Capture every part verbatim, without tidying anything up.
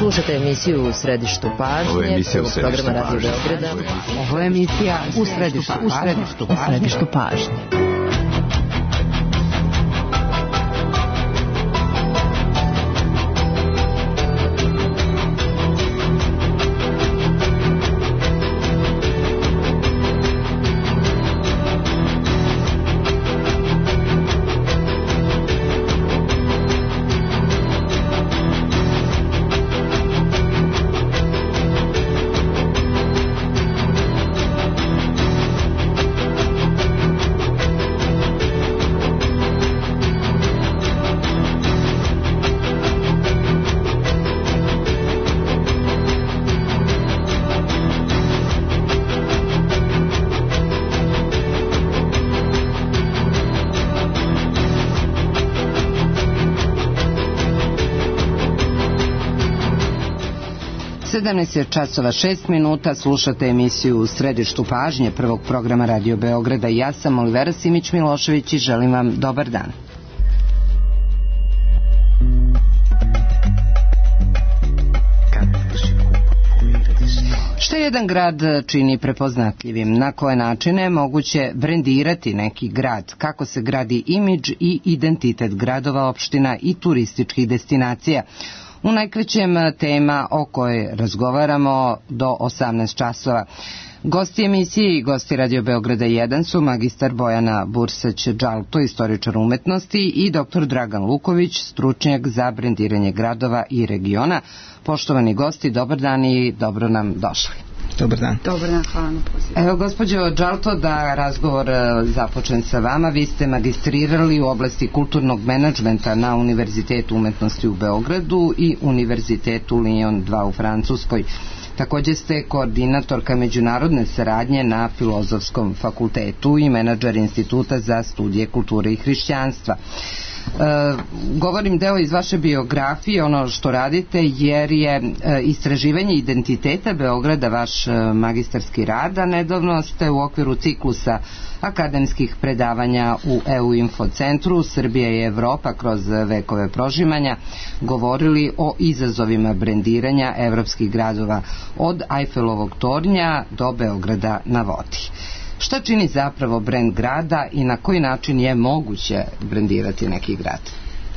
Slušate emisiju U središtu pažnje. Ovo je emisija U središtu programa Radio pažnje. Beograda. Ovo je emisija U središtu, u središtu, u središtu pažnje. sedamnaest je časova šest minuta, slušate emisiju U središtu pažnje prvog programa Radio Beograda. Ja sam Olivera Simić-Milošević i želim vam dobar dan. Što jedan grad čini prepoznatljivim? Na koje načine je moguće brendirati neki grad? Kako se gradi imidž i identitet gradova, opština i turističkih destinacija? U najkraćem tema o kojoj razgovaramo do osamnaest časova. Gosti emisije i gosti Radio Beograda jedan su magistar Bojana Bursać-Đalto, istoričar umetnosti, i doktor Dragan Luković, stručnjak za brendiranje gradova i regiona. Poštovani gosti, dobar dan i dobro nam došli. Dobar dan. Dobar dan, hvala na pozivu. Evo, gospođo Đalto, da razgovor započnem sa vama. Vi ste magistrirali u oblasti kulturnog menadžmenta na Univerzitetu umetnosti u Beogradu i Univerzitetu Lyon dva u Francuskoj. Također ste koordinatorka međunarodne saradnje na Filozofskom fakultetu i menadžer Instituta za studije kulture i hrišćanstva. E, govorim deo iz vaše biografije, ono što radite, jer je e, istraživanje identiteta Beograda vaš e, magistarski rad, a nedavno ste u okviru ciklusa akademskih predavanja u E U Info centru Srbija i Evropa kroz vekove prožimanja govorili o izazovima brendiranja evropskih gradova od Ajfelovog tornja do Beograda na vodi. Šta čini zapravo brend grada i na koji način je moguće brendirati neki grad?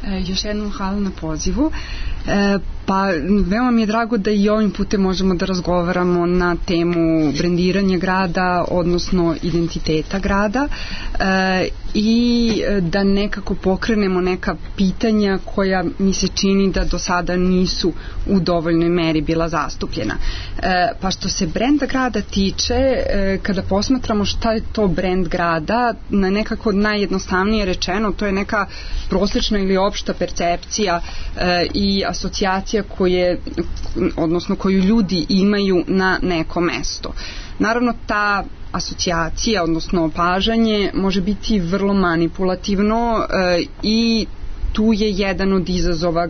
E, još jednom hvala na pozivu. E, pa veoma mi je drago da i ovim putem možemo da razgovaramo na temu brendiranja grada, odnosno identiteta grada, e, i da nekako pokrenemo neka pitanja koja mi se čini da do sada nisu u dovoljnoj meri bila zastupljena. E, pa što se brenda grada tiče, e, kada posmatramo šta je to brend grada, na nekako najjednostavnije rečeno, to je neka prosječna ili opšta percepcija e, i asocijacija koje, odnosno koju ljudi imaju na neko mesto. Naravno, ta asocijacija, odnosno opažanje, može biti vrlo manipulativno e, i tu je jedan od izazova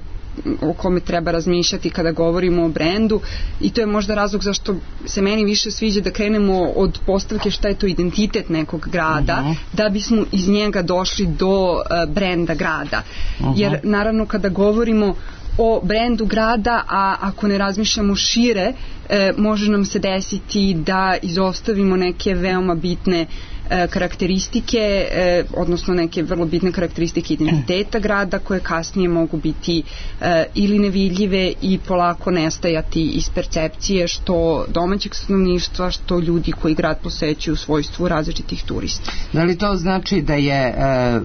o kome treba razmišljati kada govorimo o brendu, i to je možda razlog zašto se meni više sviđa da krenemo od postavke šta je to identitet nekog grada, uh-huh. da bismo iz njega došli do uh, brenda grada. Uh-huh. Jer naravno kada govorimo o brendu grada, a ako ne razmišljamo šire, e, može nam se desiti da izostavimo neke veoma bitne e, karakteristike, e, odnosno neke vrlo bitne karakteristike identiteta grada, koje kasnije mogu biti e, ili nevidljive i polako nestajati iz percepcije što domaćeg stanovništva, što ljudi koji grad posećuju u svojstvu različitih turista. Da li to znači da je e,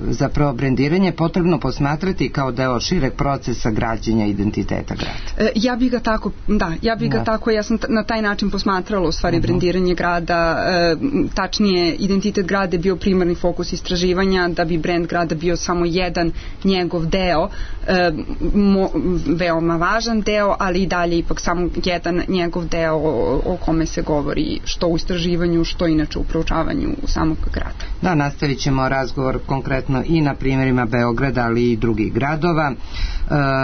zapravo brendiranje potrebno posmatrati kao deo šireg procesa građenja identiteta grada? E, ja bih ga tako, da, ja bih ga da. tako, ja sam t- na taj način posmatrala u stvari uh-huh. brendiranje grada, e, tačnije identitet grada je bio primarni fokus istraživanja, da bi brend grada bio samo jedan njegov deo, e, mo, veoma važan deo, ali i dalje ipak samo jedan njegov deo o, o kome se govori što u istraživanju, što inače u proučavanju samog grada. Da, nastavit ćemo razgovor konkretno i na primjerima Beograda, ali i drugih gradova. E,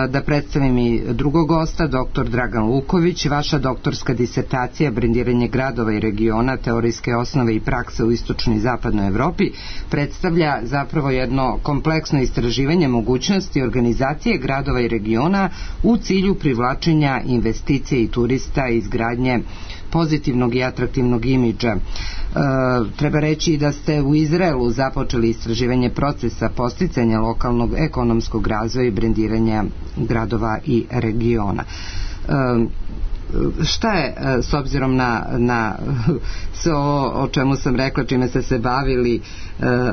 da predstavimo predstavim i drugog gosta, doktor Dragan Luković. Vaša doktorska disertacija Brendiranje gradova i regiona, teorijske osnove i prakse u istočnoj i zapadnoj Evropi predstavlja zapravo jedno kompleksno istraživanje mogućnosti organizacije gradova i regiona u cilju privlačenja investicije i turista i izgradnje pozitivnog i atraktivnog imidža. E, treba reći da ste u Izraelu započeli istraživanje procesa posticanja lokalnog ekonomskog razvoja i brendiranja gradova i regiona. E, šta je, s obzirom na, na sve o, o čemu sam rekla, čime ste se bavili, e,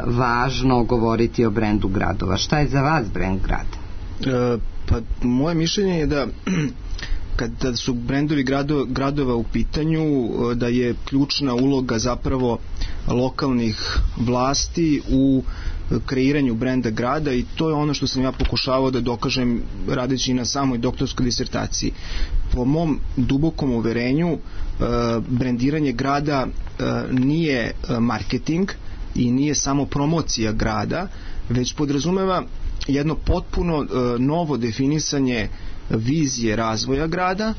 važno govoriti o brendu gradova? Šta je za vas brend grada? E, pa moje mišljenje je da kada su brendovi gradova, gradova u pitanju, da je ključna uloga zapravo lokalnih vlasti u kreiranju brenda grada, i to je ono što sam ja pokušavao da dokažem radeći na samoj doktorskoj disertaciji. Po mom dubokom uverenju, brendiranje grada nije marketing i nije samo promocija grada, već podrazumeva jedno potpuno novo definisanje vizije razvoja grada,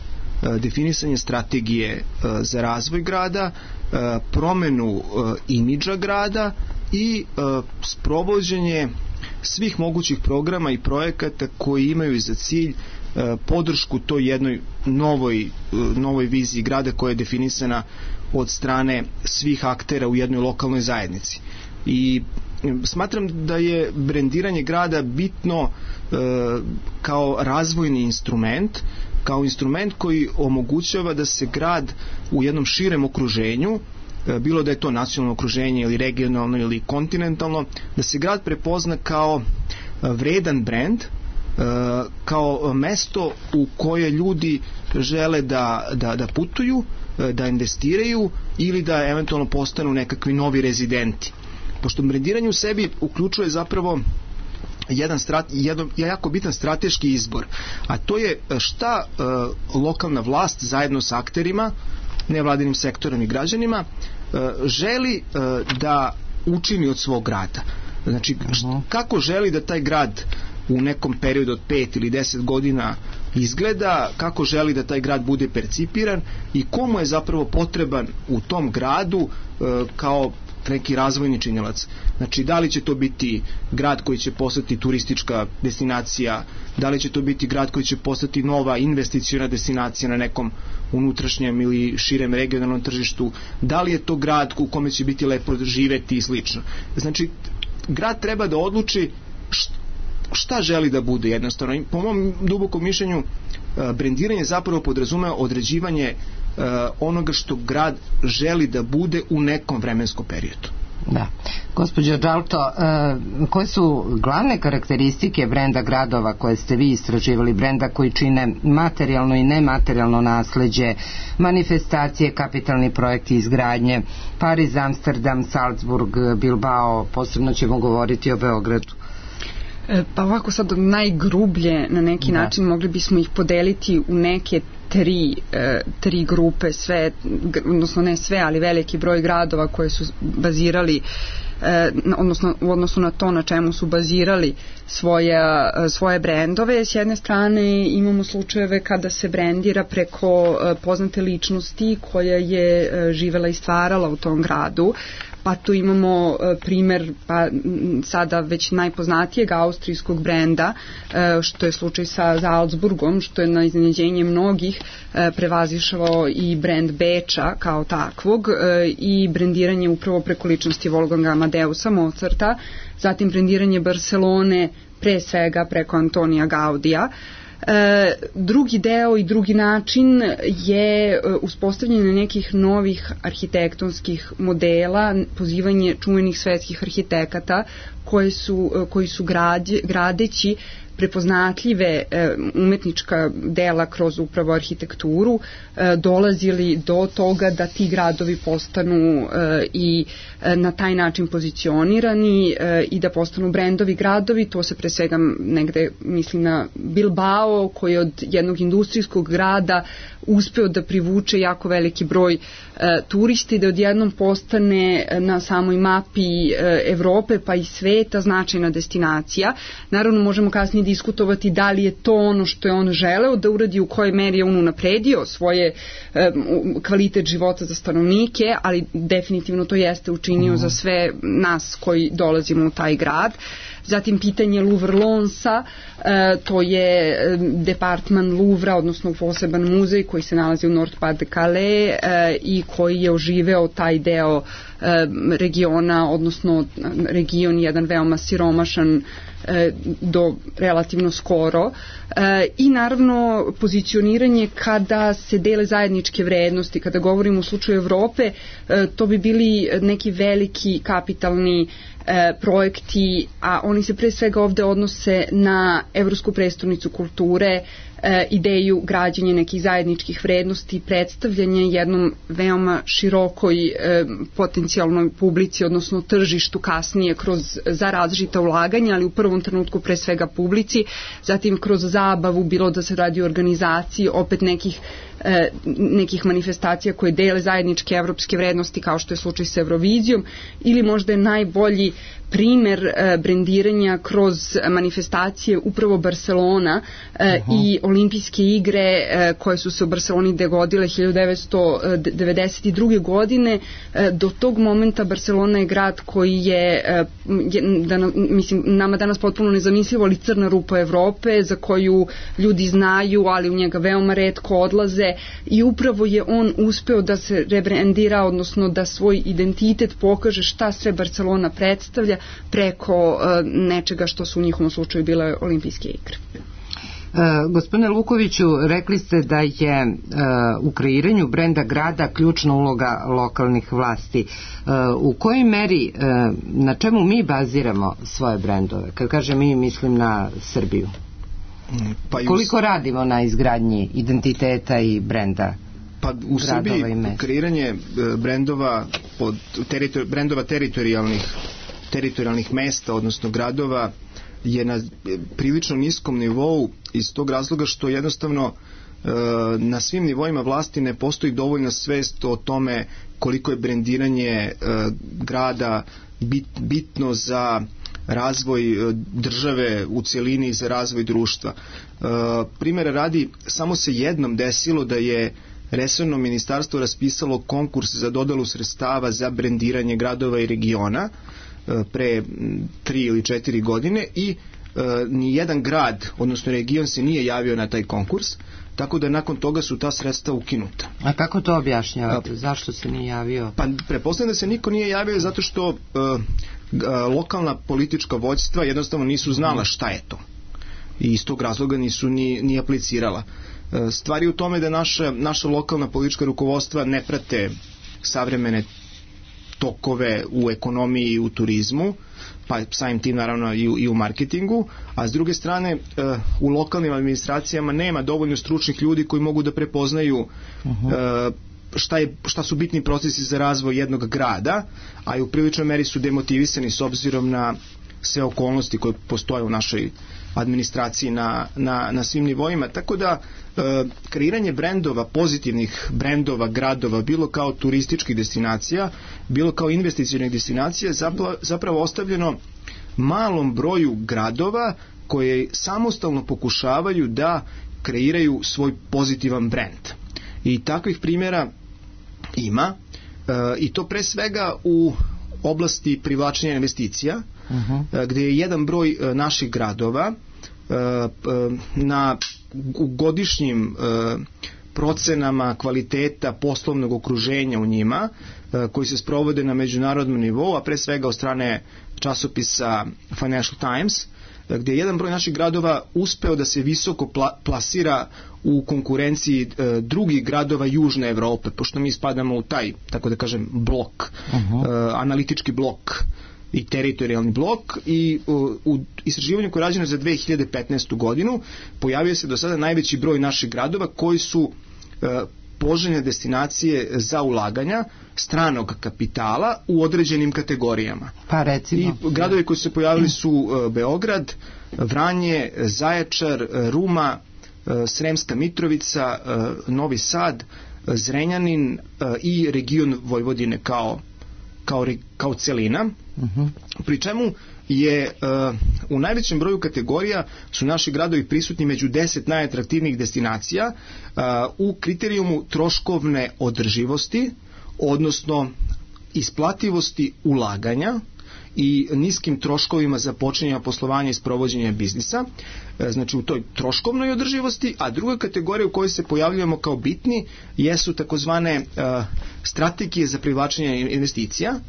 definisanje strategije za razvoj grada, promenu imidža grada i sprovođenje svih mogućih programa i projekata koji imaju za cilj podršku toj jednoj novoj, novoj viziji grada koja je definisana od strane svih aktera u jednoj lokalnoj zajednici. I smatram da je brendiranje grada bitno e, kao razvojni instrument, kao instrument koji omogućava da se grad u jednom širem okruženju, e, bilo da je to nacionalno okruženje ili regionalno ili kontinentalno, da se grad prepozna kao vredan brend, e, kao mesto u koje ljudi žele da, da, da putuju, da investiraju ili da eventualno postanu nekakvi novi rezidenti. Pošto brendiranje u sebi uključuje zapravo jedan, strat, jedan jako bitan strateški izbor, a to je šta e, lokalna vlast zajedno sa akterima, nevladinim sektorom i građanima e, želi e, da učini od svog grada. Znači, šta, kako želi da taj grad u nekom periodu od pet ili deset godina izgleda, kako želi da taj grad bude percipiran i komu je zapravo potreban u tom gradu e, kao neki razvojni činilac. Znači, da li će to biti grad koji će postati turistička destinacija, da li će to biti grad koji će postati nova investiciona destinacija na nekom unutrašnjem ili širem regionalnom tržištu, da li je to grad u kome će biti lepo živeti i slično. Znači, grad treba da odluči šta želi da bude jednostavno. Po mom dubokom mišljenju, brendiranje zapravo podrazumeva određivanje onoga što grad želi da bude u nekom vremenskom periodu. Da. Gospođo Đalto, koje su glavne karakteristike brenda gradova koje ste vi istraživali, brenda koji čine materijalno i nematerijalno nasleđe, manifestacije, kapitalni projekti izgradnje, Pariz, Amsterdam, Salzburg, Bilbao, posebno ćemo govoriti o Beogradu? Pa ovako sad najgrublje na neki da. način mogli bismo ih podeliti u neke tri, e, tri grupe, sve, odnosno ne sve, ali veliki broj gradova koje su bazirali, e, odnosno u odnosu na to na čemu su bazirali svoje, svoje brendove. S jedne strane imamo slučajeve kada se brendira preko e, poznate ličnosti koja je e, živela i stvarala u tom gradu. Pa tu imamo e, primer pa sada već najpoznatijeg austrijskog brenda, e, što je slučaj sa Salzburgom, što je na iznenađenje mnogih e, prevazišao i brend Beča kao takvog e, i brendiranje upravo preko ličnosti Wolfganga Amadeusa Mozarta, zatim brendiranje Barcelone pre svega preko Antonija Gaudija. E, drugi deo i drugi način je e, uspostavljanje nekih novih arhitektonskih modela, pozivanje čuvenih svetskih arhitekata koji su, e, koji su grade, gradeći prepoznatljive e, umetnička dela kroz upravo arhitekturu e, dolazili do toga da ti gradovi postanu e, i e, na taj način pozicionirani e, i da postanu brendovi gradovi. To se pre svega negde misli na Bilbao, koji od jednog industrijskog grada uspeo da privuče jako veliki broj turista i da odjednom postane na samoj mapi Evrope pa i sveta značajna destinacija. Naravno možemo kasnije diskutovati da li je to ono što je on želeo da uradi, u kojoj meri je on unapredio svoje kvalitet života za stanovnike, ali definitivno to jeste učinio za sve nas koji dolazimo u taj grad. Zatim pitanje Louvre-Lonsa, to je departman Louvra, odnosno poseban muzej koji se nalazi u Nord-Pas-de-Calais i koji je oživeo taj deo regiona, odnosno region jedan veoma siromašan do relativno skoro. I naravno pozicioniranje kada se dele zajedničke vrednosti. Kada govorimo u slučaju Evrope, to bi bili neki veliki kapitalni projekti, a oni se pre svega ovde odnose na Evropsku prestonicu kulture, ideju građenja nekih zajedničkih vrednosti, predstavljanje jednom veoma širokoj potencijalnoj publici, odnosno tržištu kasnije kroz za različita ulaganja, ali u prvom trenutku pre svega publici, zatim kroz zabavu, bilo da se radi o organizaciji opet nekih nekih manifestacija koje dele zajedničke evropske vrednosti, kao što je slučaj sa Eurovizijom, ili možda je najbolji primer brendiranja kroz manifestacije upravo Barcelona uh-huh. i olimpijske igre koje su se u Barceloni dogodile hiljadu devetsto devedeset druge. godine. Do tog momenta Barcelona je grad koji je, da, mislim, nama danas potpuno nezamislivo, ali crna rupa Evrope za koju ljudi znaju, ali u njega veoma retko odlaze, i upravo je on uspeo da se rebrandira, odnosno da svoj identitet pokaže šta sve Barcelona predstavlja preko uh, nečega što su u njihovom slučaju bile olimpijske igre. Uh, gospodine Lukoviću, rekli ste da je uh, u kreiranju brenda grada ključna uloga lokalnih vlasti. Uh, u kojoj meri, uh, na čemu mi baziramo svoje brendove? Kad kažem mi, mislim na Srbiju. Pa koliko u... radimo na izgradnji identiteta i brenda? Pa u Srbiji kreiranje brendova pod teritor, brendova teritorijalnih teritorijalnih mesta, odnosno gradova, je na prilično niskom nivou iz tog razloga što jednostavno na svim nivoima vlasti ne postoji dovoljna svest o tome koliko je brendiranje grada bit, bitno za razvoj države u cjelini i za razvoj društva. Primjera radi, samo se jednom desilo da je resorno ministarstvo raspisalo konkurs za dodelu sredstava za brendiranje gradova i regiona pre tri ili četiri godine i e, ni jedan grad, odnosno region se nije javio na taj konkurs, tako da nakon toga su ta sredstva ukinuta. A kako to objašnjavate? Zašto se nije javio? Pa pretpostavljam da se niko nije javio zato što e, lokalna politička vođstva jednostavno nisu znala šta je to. I iz tog razloga nisu ni, ni aplicirala. E, stvari u tome da naša, naša lokalna politička rukovodstva ne prate savremene tokove u ekonomiji i u turizmu, pa samim tim naravno i u, i u marketingu, a s druge strane u lokalnim administracijama nema dovoljno stručnih ljudi koji mogu da prepoznaju uh-huh. šta, je, šta su bitni procesi za razvoj jednog grada, a i u priličnoj meri su demotivisani s obzirom na sve okolnosti koje postoje u našoj administraciji na, na, na svim nivoima, tako da e, kreiranje brendova, pozitivnih brendova gradova, bilo kao turističkih destinacija, bilo kao investicionih destinacija, zapravo, zapravo ostavljeno malom broju gradova koje samostalno pokušavaju da kreiraju svoj pozitivan brend. I takvih primjera ima e, i to pre svega u oblasti privlačenja investicija, uh-huh. gdje je jedan broj naših gradova na godišnjim procenama kvaliteta poslovnog okruženja u njima, koji se sprovode na međunarodnom nivou, a pre svega od strane časopisa Financial Times, gdje je jedan broj naših gradova uspeo da se visoko pla- plasira u konkurenciji e, drugih gradova Južne Evrope, pošto mi spadamo u taj, tako da kažem, blok, uh-huh. e, analitički blok i teritorijalni blok, i u, u istraživanju koje je rađeno za dve hiljade petnaestu. godinu pojavio se do sada najveći broj naših gradova koji su e, poželjne destinacije za ulaganja stranog kapitala u određenim kategorijama. Pa recimo. I gradovi koji su se pojavili su uh, Beograd, Vranje, Zaječar, Ruma, Sremska Mitrovica, Novi Sad, Zrenjanin i region Vojvodine kao, kao, kao celina. Uh-huh. Pri čemu je u najvećem broju kategorija su naši gradovi prisutni među deset najatraktivnijih destinacija u kriterijumu troškovne održivosti, odnosno isplativosti ulaganja i niskim troškovima za počinjanje poslovanja i sprovođenja biznisa, znači u toj troškovnoj održivosti, a druga kategorija u kojoj se pojavljujemo kao bitni jesu takozvane uh, strategije za privlačenje investicija,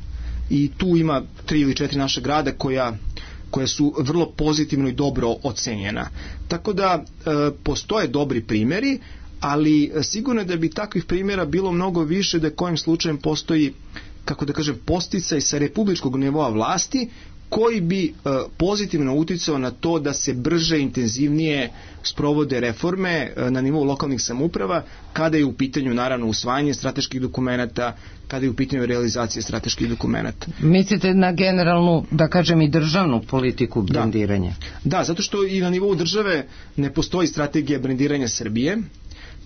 i tu ima tri ili četiri naša grada koja koja su vrlo pozitivno i dobro ocenjena. Tako da e, postoje dobri primjeri, ali sigurno je da bi takvih primjera bilo mnogo više da kojim slučajem postoji, kako da kažem, posticaj sa republičkog nivoa vlasti koji bi e, pozitivno uticao na to da se brže, intenzivnije sprovode reforme e, na nivou lokalnih samouprava, kada je u pitanju naravno usvajanje strateških dokumenata, kada je u pitanju realizacije strateških dokumenata. Mislite na generalnu, da kažem, i državnu politiku brendiranja? Da, da, zato što i na nivou države ne postoji strategija brendiranja Srbije,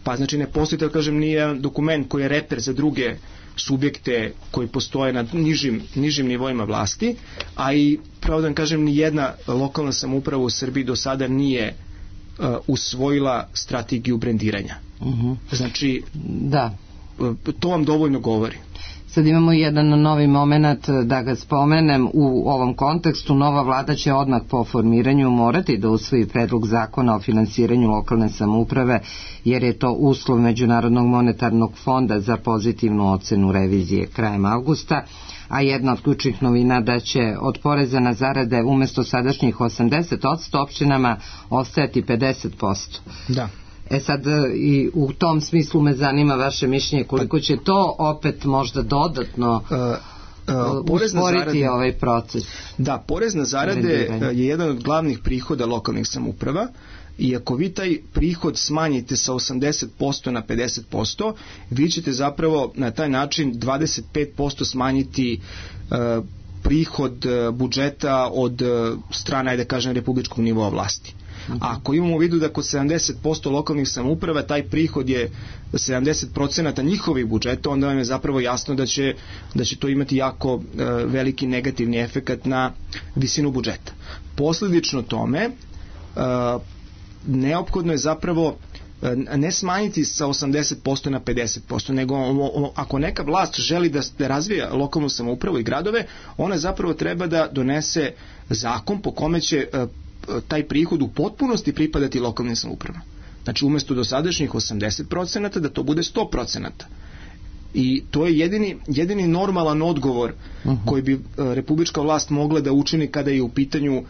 pa znači ne postoji, da kažem, nije dokument koji je reper za druge subjekte koji postoje na nižim, nižim nivoima vlasti, a i, pravo da vam kažem, ni jedna lokalna samouprava u Srbiji do sada nije uh, usvojila strategiju brendiranja. Uh-huh. Znači, da. To vam dovoljno govori. Sad imamo jedan novi moment, da ga spomenem u ovom kontekstu. Nova vlada će odmah po formiranju morati da usvoji predlog zakona o finansiranju lokalne samouprave, jer je to uslov Međunarodnog monetarnog fonda za pozitivnu ocenu revizije krajem avgusta, a jedna od ključnih novina da će od poreza na zarade umesto sadašnjih osamdeset posto opštinama ostajati pedeset posto. Da. E sad, i u tom smislu me zanima vaše mišljenje koliko će to opet možda dodatno uh, uh, usporiti ovaj proces. Da, porez na zarade je jedan od glavnih prihoda lokalnih samouprava, i ako vi taj prihod smanjite sa osamdeset posto na pedeset posto, vi ćete zapravo na taj način dvadeset pet posto smanjiti uh, prihod uh, budžeta od uh, strane, da kažem, republičkog nivoa vlasti. A ako imamo u vidu da kod sedamdeset posto lokalnih samouprava taj prihod je sedamdeset posto njihovih budžeta, onda vam je zapravo jasno da će, da će to imati jako e, veliki negativni efekat na visinu budžeta. Posledično tome e, neophodno je zapravo e, ne smanjiti sa osamdeset posto na pedeset posto, nego o, o, ako neka vlast želi da, da razvija lokalnu samoupravu i gradove, ona zapravo treba da donese zakon po kome će e, taj prihod u potpunosti pripadati lokalnim samoupravama. Znači, umjesto dosadašnjih osamdeset posto da to bude sto posto. I to je jedini, jedini normalan odgovor uh-huh. koji bi republička vlast mogla da učini kada je u pitanju e,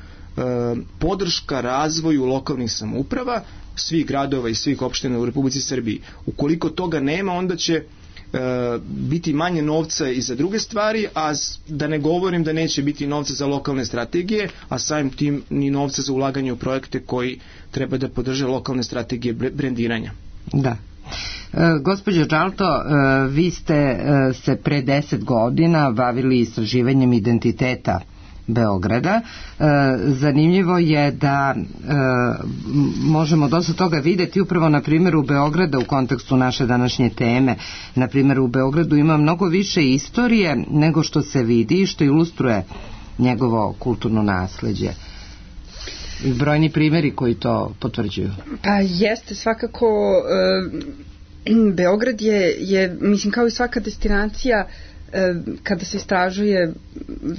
podrška razvoju lokalnih samouprava, svih gradova i svih opština u Republici Srbiji. Ukoliko toga nema, onda će E, biti manje novca i za druge stvari, a da ne govorim da neće biti novca za lokalne strategije, a samim tim ni novca za ulaganje u projekte koji treba da podrže lokalne strategije brendiranja. Da. E, gospođo Đalto, e, vi ste e, se pre deset godina bavili istraživanjem identiteta Beograda. E, zanimljivo je da e, možemo dosta toga videti upravo na primjeru Beograda u kontekstu naše današnje teme. Na primjeru u Beogradu ima mnogo više istorije nego što se vidi i što ilustruje njegovo kulturno nasleđe. I brojni primjeri koji to potvrđuju. Pa jeste, svakako e, Beograd je, je, mislim, kao i svaka destinacija, kada se istražuje,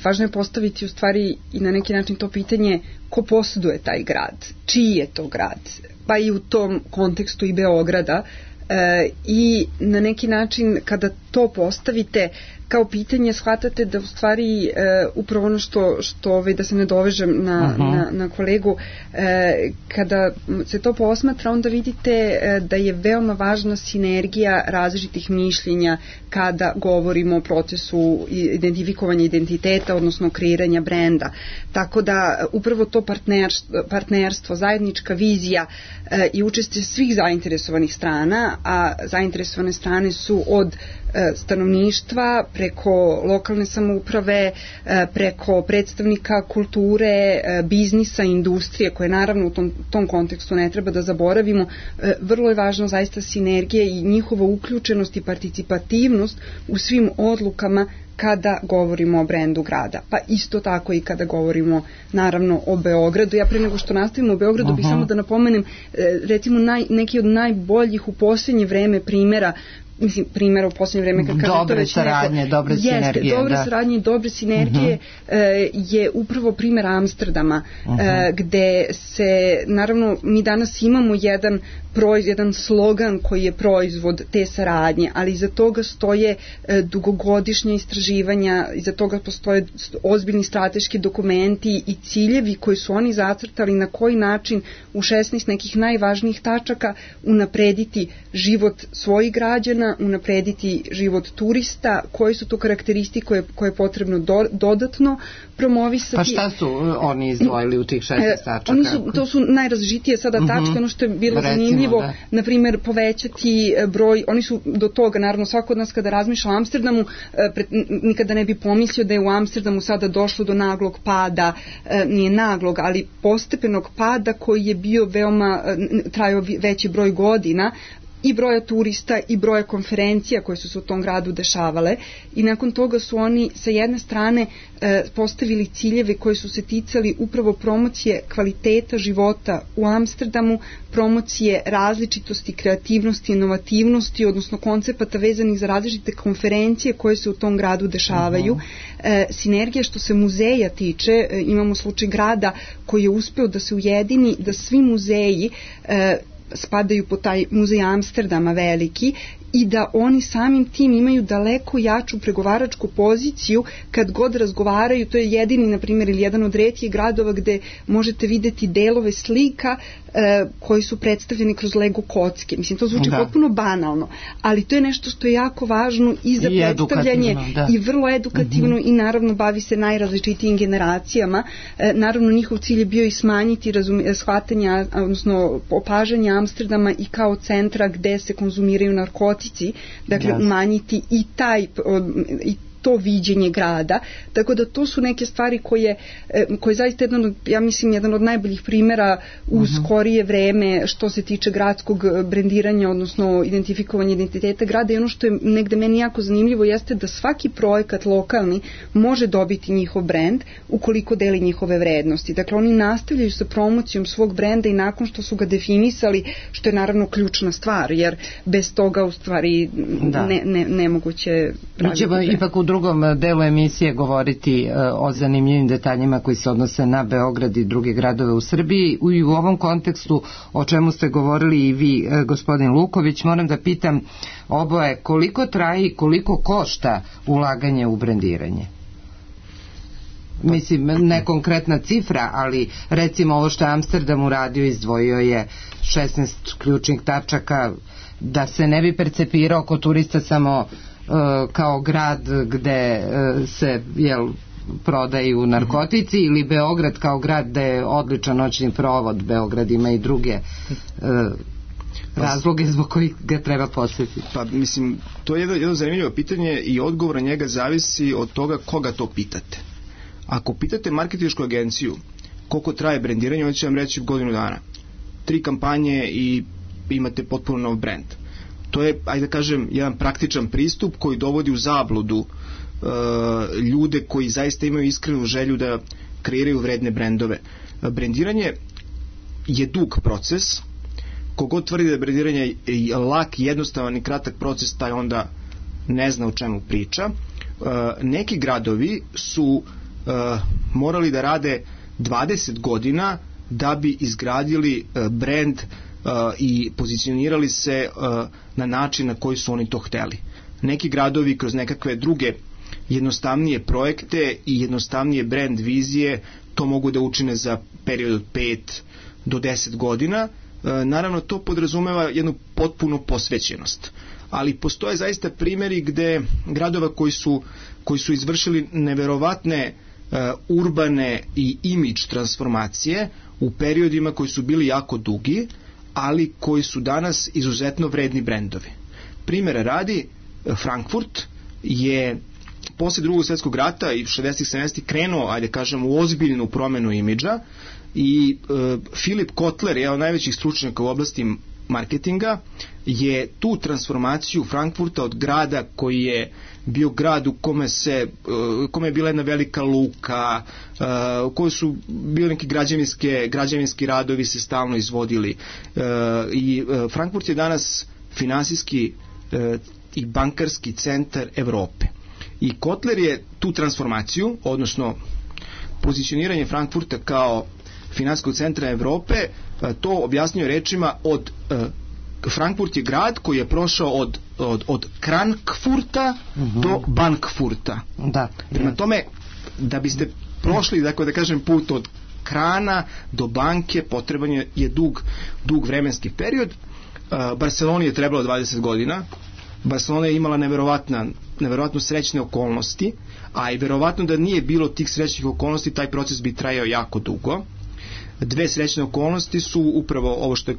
važno je postaviti u stvari i na neki način to pitanje ko posjeduje taj grad, čiji je to grad, pa i u tom kontekstu i Beograda, e, i na neki način kada to postavite kao pitanje, shvatate da u stvari e, upravo ono što, što ove, da se ne dovežem na, uh-huh. na, na kolegu, e, kada se to posmatra, onda vidite e, da je veoma važna sinergija različitih mišljenja kada govorimo o procesu identifikovanja identiteta, odnosno kreiranja brenda. Tako da upravo to partnerstvo, partnerstvo zajednička vizija e, i učešće svih zainteresovanih strana, a zainteresovane strane su od stanovništva, preko lokalne samouprave, preko predstavnika kulture, biznisa, industrije, koje naravno u tom, tom kontekstu ne treba da zaboravimo. Vrlo je važno zaista sinergija i njihova uključenost i participativnost u svim odlukama kada govorimo o brendu grada. Pa isto tako i kada govorimo naravno o Beogradu. Ja pre nego što nastavimo o Beogradu uh-huh. bih samo da napomenem recimo naj, neki od najboljih u posljednje vreme primjera mislim, primjera u posljednje vreme kad kažem dobre saradnje, neko, dobre jeste, sinergije dobre da. saradnje i dobre sinergije uh-huh. e, je upravo primjer Amsterdama uh-huh. e, gde se naravno mi danas imamo jedan proiz, jedan slogan koji je proizvod te saradnje, ali iza toga stoje e, dugogodišnja istraživanja, iza toga postoje ozbiljni strateški dokumenti i ciljevi koji su oni zacrtali na koji način u šesnaest nekih najvažnijih tačaka unaprediti život svojih građana, unaprediti život turista, koje su to karakteristike koje, koje je potrebno do, dodatno promovisati. Pa šta su oni izdvojili u tih šesnaest tačaka? Oni su, to su najrazličitije sada tačke, uh-huh. ono što je bilo Recimo, zanimljivo, da. na primjer povećati broj, oni su do toga, naravno svako od nas kada razmišlja o Amsterdamu, pred, nikada ne bi pomislio da je u Amsterdamu sada došlo do naglog pada, nije naglog, ali postepenog pada koji je bio veoma, trajao veći broj godina, i broja turista i broja konferencija koje su se u tom gradu dešavale, i nakon toga su oni sa jedne strane e, postavili ciljeve koji su se ticali upravo promocije kvaliteta života u Amsterdamu, promocije različitosti, kreativnosti, inovativnosti, odnosno koncepata vezanih za različite konferencije koje se u tom gradu dešavaju. Uh-huh. E, sinergija što se muzeja tiče, e, imamo slučaj grada koji je uspeo da se ujedini, da svi muzeji e, spadaju po taj muzej Amsterdama veliki i da oni samim tim imaju daleko jaču pregovaračku poziciju kad god razgovaraju. To je jedini, na primjer, ili jedan od retkih gradova gde možete videti delove slika e, koji su predstavljeni kroz Lego kocke. Mislim, to zvuči da. potpuno banalno, ali to je nešto što je jako važno i za I predstavljanje i vrlo edukativno uh-huh. i naravno bavi se najrazličitijim generacijama. E, naravno, njihov cilj je bio i smanjiti razum, shvatanja, odnosno opažanja Amsterdama i kao centra gde se konzumiraju narkotici, dakle yes. umanjiti i taj i to viđenje grada, tako da to su neke stvari koje, koje zaista jedan od, ja mislim, jedan od najboljih primjera u uh-huh. skorije vreme što se tiče gradskog brendiranja, odnosno identifikovanja identiteta grada. I ono što je negde meni jako zanimljivo jeste da svaki projekat lokalni može dobiti njihov brend ukoliko deli njihove vrednosti. Dakle, oni nastavljaju sa promocijom svog brenda i nakon što su ga definisali, što je naravno ključna stvar, jer bez toga u stvari da. ne, ne, nemoguće praviti brend. Ipak u drugom delu emisije govoriti o zanimljivim detaljima koji se odnose na Beograd i druge gradove u Srbiji. I u ovom kontekstu o čemu ste govorili i vi, gospodin Luković, moram da pitam oboje koliko traje i koliko košta ulaganje u brendiranje? Mislim, ne konkretna cifra, ali recimo ovo što je Amsterdam uradio, izdvojio je šesnaest ključnih tačaka, da se ne bi percepirao kod turista samo kao grad gde se jel, prodaju narkotici, ili Beograd kao grad gde je odličan noćni provod. Beograd ima i druge uh, razloge zbog kojih ga treba posjetiti. Pa mislim, to je jedno, jedno zanimljivo pitanje i odgovor na njega zavisi od toga koga to pitate. Ako pitate marketinšku agenciju koliko traje brendiranje, oni će vam reći godinu dana. Tri kampanje i imate potpuno nov brend. To je, ajde da kažem, jedan praktičan pristup koji dovodi u zabludu uh, ljude koji zaista imaju iskrenu želju da kreiraju vredne brendove. Brendiranje je dug proces. Kogod tvrdi da je brendiranje je lak, jednostavan i kratak proces, taj onda ne zna o čemu priča. Uh, neki gradovi su uh, morali da rade dvadeset godina da bi izgradili uh, brend Uh, i pozicionirali se uh, na način na koji su oni to hteli. Neki gradovi kroz nekakve druge jednostavnije projekte i jednostavnije brand vizije to mogu da učine za period od pet do deset godina. Uh, naravno, to podrazumeva jednu potpunu posvećenost. Ali postoje zaista primjeri gde gradova koji su, koji su izvršili neverovatne uh, urbane i imidž transformacije u periodima koji su bili jako dugi, ali koji su danas izuzetno vredni brendovi. Primjera radi, Frankfurt je posle drugog svjetskog rata i šezdesetih sedamdesetih krenuo, ajde kažem, u ozbiljnu promenu imidža i e, Philip Kotler, jedan od najvećih stručnjaka u oblasti marketinga, je tu transformaciju Frankfurta od grada koji je bio grad u kome se u kome je bila jedna velika luka, u kojoj su bili neki građevinske, građevinski radovi se stalno izvodili, i Frankfurt je danas finansijski i bankarski centar Evrope. I Kotler je tu transformaciju, odnosno pozicioniranje Frankfurta kao finansijskog centra Evrope, to objasnio rečima od Frankfurt je grad koji je prošao od, od, od Krankfurta uh-huh. do Bankfurta. Da. Prema tome, da biste prošli, dakle, da kažem, put od krana do banke, potreban je, je dug, dug vremenski period. Uh, Barceloni je trebalo dvadeset godina. Barcelona je imala neverovatna, neverovatno srećne okolnosti, a i verovatno da nije bilo tih srećnih okolnosti, taj proces bi trajao jako dugo. Dve srećne okolnosti su upravo ovo što je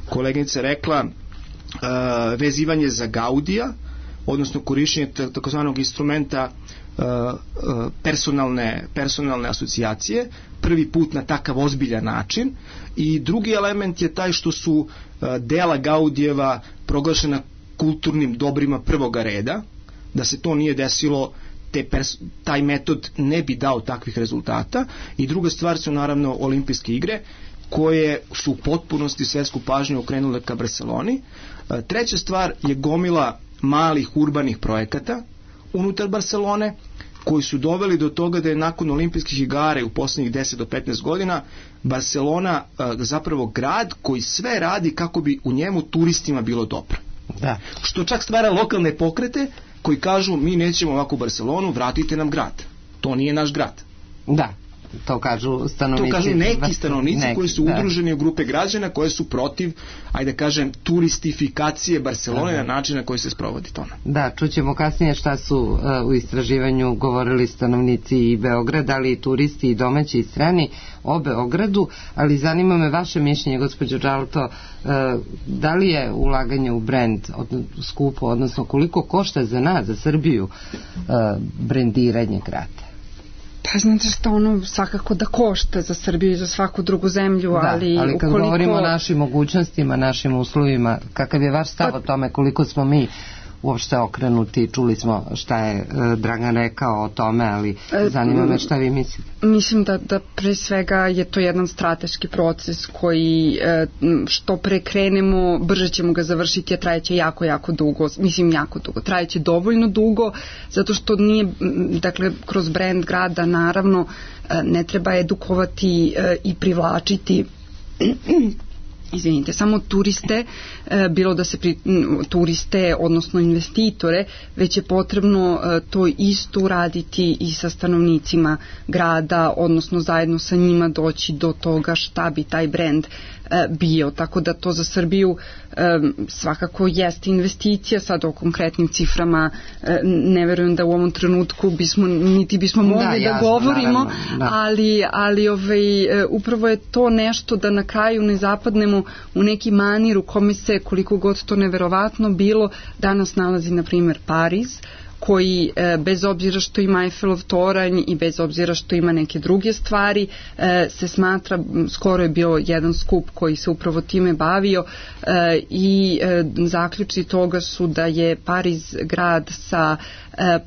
koleginica rekla, uh, vezivanje za Gaudija, odnosno korišćenje takozvanog instrumenta uh, uh, personalne, personalne asocijacije, prvi put na takav ozbiljan način, i drugi element je taj što su uh, dela Gaudijeva proglašena kulturnim dobrima prvoga reda. Da se to nije desilo, te pers- taj metod ne bi dao takvih rezultata. I druga stvar su naravno olimpijske igre, koje su u potpunosti svetsku pažnju okrenule ka Barceloni. E, treća stvar je gomila malih urbanih projekata unutar Barcelone, koji su doveli do toga da je nakon olimpijskih igara u poslednjih deset do petnaest godina Barcelona e, zapravo grad koji sve radi kako bi u njemu turistima bilo dobro. Da. Što čak stvara lokalne pokrete koji kažu, mi nećemo ovako u Barcelonu, vratite nam grad. To nije naš grad. Da, to kažu stanovnici. To kažu neki stanovnici neki, koji su da. udruženi u grupe građana koje su protiv, ajde kažem, turistifikacije Barcelone Aha. na način na koji se sprovodi to. Da, čućemo kasnije šta su uh, u istraživanju govorili stanovnici i Beograda, ali i turisti i domaći i strani o Beogradu, ali zanima me vaše mišljenje, gospođo Đalto, uh, da li je ulaganje u brend od, skupo, odnosno koliko košta za nas, za Srbiju, uh, brendiranje grada? Pa znate što, ono svakako da košta za Srbiju i za svaku drugu zemlju, da, ali, ali kad ukoliko... govorimo o našim mogućnostima, našim uslovima, kakav je vaš stav pa... o tome, koliko smo mi uopšte okrenuti, čuli smo šta je e, Dragan rekao o tome, ali zanima me šta vi mislite. Mislim da, da pre svega je to jedan strateški proces koji e, što pre krenemo, brže ćemo ga završiti, a trajeće jako, jako dugo, mislim jako dugo, trajeće dovoljno dugo, zato što nije, dakle, kroz brand grada naravno ne treba edukovati e, i privlačiti izvinite, samo turiste, bilo da se pri, turiste, odnosno investitore, već je potrebno to isto uraditi i sa stanovnicima grada, odnosno zajedno sa njima doći do toga šta bi taj brend bio, tako da to za Srbiju svakako jeste investicija. Sad o konkretnim ciframa ne verujem da u ovom trenutku bismo, niti bismo mogli da, jasno, da govorimo, naravno, da. ali, ali ovaj, upravo je to nešto da na kraju ne zapadnemo u neki manir u kome se, koliko god to neverovatno bilo, danas nalazi na primjer Pariz, koji bez obzira što ima Eiffelov toranj i bez obzira što ima neke druge stvari se smatra, skoro je bio jedan skup koji se upravo time bavio i zaključci toga su da je Pariz grad sa